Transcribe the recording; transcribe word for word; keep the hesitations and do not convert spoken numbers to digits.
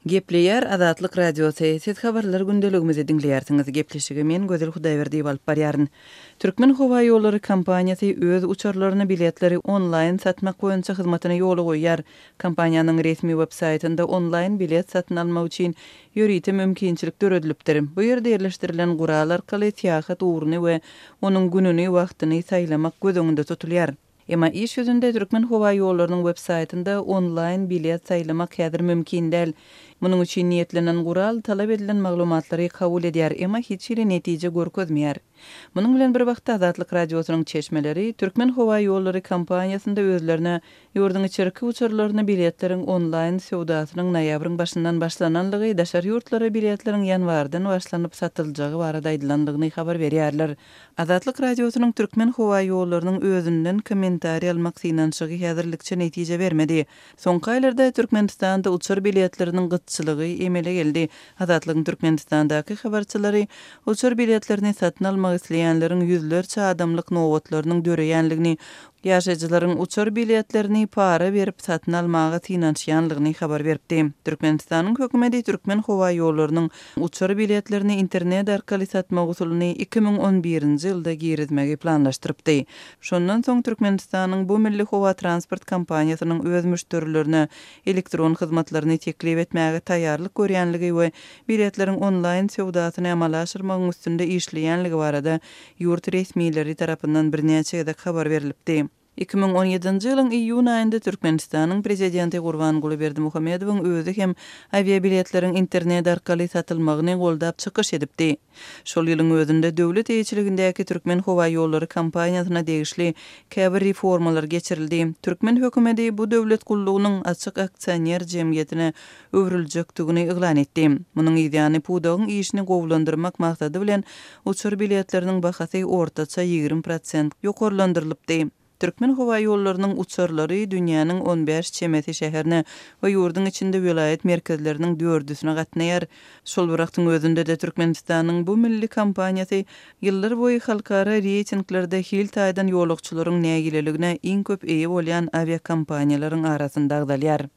Gepleýär Azatlyk Radiosy, Siz habarlar gündeligimizi diňleýärsiňiz. Gepleşigi men Gözel Hudaýberdiýewa alyp barýaryn. Türkmenhowaýollary kompaniýasy öz uçarlaryna biletleri onlaýn satmak boýunça hyzmatyny ýola goýýar. Kompaniýanyň resmi web saýtynda onlaýn bilet satyn almak üçin ýörite mümkinçilik döredilipdir. Bu ýerde ýerleşdirilen gural arkaly syýahat ugruny we onuň gününi, wagtyny saýlamak göz öňünde tutulýar. Emma iş ýüzünde Türkmenhowaýollarynyň web saýtynda onlaýn bilet saýlamak häzir mümkin däl. Munuň üçin niýetlenen gural talap edilen maglumatlary kabul edýär, emma hiç hili netije görkezmeýär. Munuň bilen bir wagtda Azatlyk Radiosynyň çeşmeleri Türkmenhowaýollary kompaniýasynda özlerine ýurduň içerki uçarlaryna biletleriň onlaýn söwdasynyň noýabryň başyndan başlananlygy, daşary ýurtlara biletleriň ýanwardan başlanyp satyljagy barada aýdylandygyny habar berýärler. Azatlyk Radiosynyň Türkmenhowaýollarynyň özünden kommentariý almak synanyşygy häzirlikçe netije bermedi. Soňky aýlarda Türkmenistanda uçar biletleriniň gytçylygy emele geldi. Azatlygyň Türkmenistandaky habarçylary uçar biletlerini satyn almak isleýänleriň ýüzlerçe adamlyk nobatlarynyň döreýänligini, ýaşaýjylaryň uçar biletlerini para berip satyn almaga synanyşýanlygyny habar beripdi. Türkmenistanyň hökümeti Türkmenhowaýollarynyň uçar biletlerini internet arkaly satmak usulyny iki müň on birinji ýylda girizmegi planlaşdyrypdy. Şondan soň Türkmenistanyň bu milli howa transport kompaniýasynyň öz müşderilerine elektron hyzmatlaryny teklip etmäge taýýarlyk görýänligi we biletleriň onlaýn söwdasyny amala aşyrmagyň üstünde işleýänligi barada ýurt resmileri tarapyndan birnäçe gezek habar berlipdi. Iki müň on ýedinji ýylyň iýun aýynda Türkmenistanyň prezidenti Gurbanguly Berdimuhamedowyň özi hem awiabiletleriň internet arkaly satylmagyny goldap çykyş edipdi. Şol ýylyň özünde döwlet eýeçiligindäki Türkmenhowaýollary kompaniýasyna degişli käbir reformalar geçirildi. Türkmen hökümeti bu döwlet gullugynyň açyk aksioner jemgyýetine öwrüljekdigini yglan etdi. Munuň ýany pudagyň işini gowulandyrmak maksady bilen uçar biletleriniň bahasy ortaça ýigrimi prosent ýokarlandyrylypdy. Türkmenhowaýollarynyň uçarlary dünýäniň on bäş çemesi şäherine we ýurduň içinde welaýat merkezleriniň dördüsine gatnaýar. Şol bir wagtyň özünde-de Türkmenistanyň bu milli kompaniýasy ýyllar boýy halkara reýtinglerde hil taýdan ýolagçylaryň nägileligine iň köp eýe bolýan awiakompaniýalaryň arasynda agzalýar.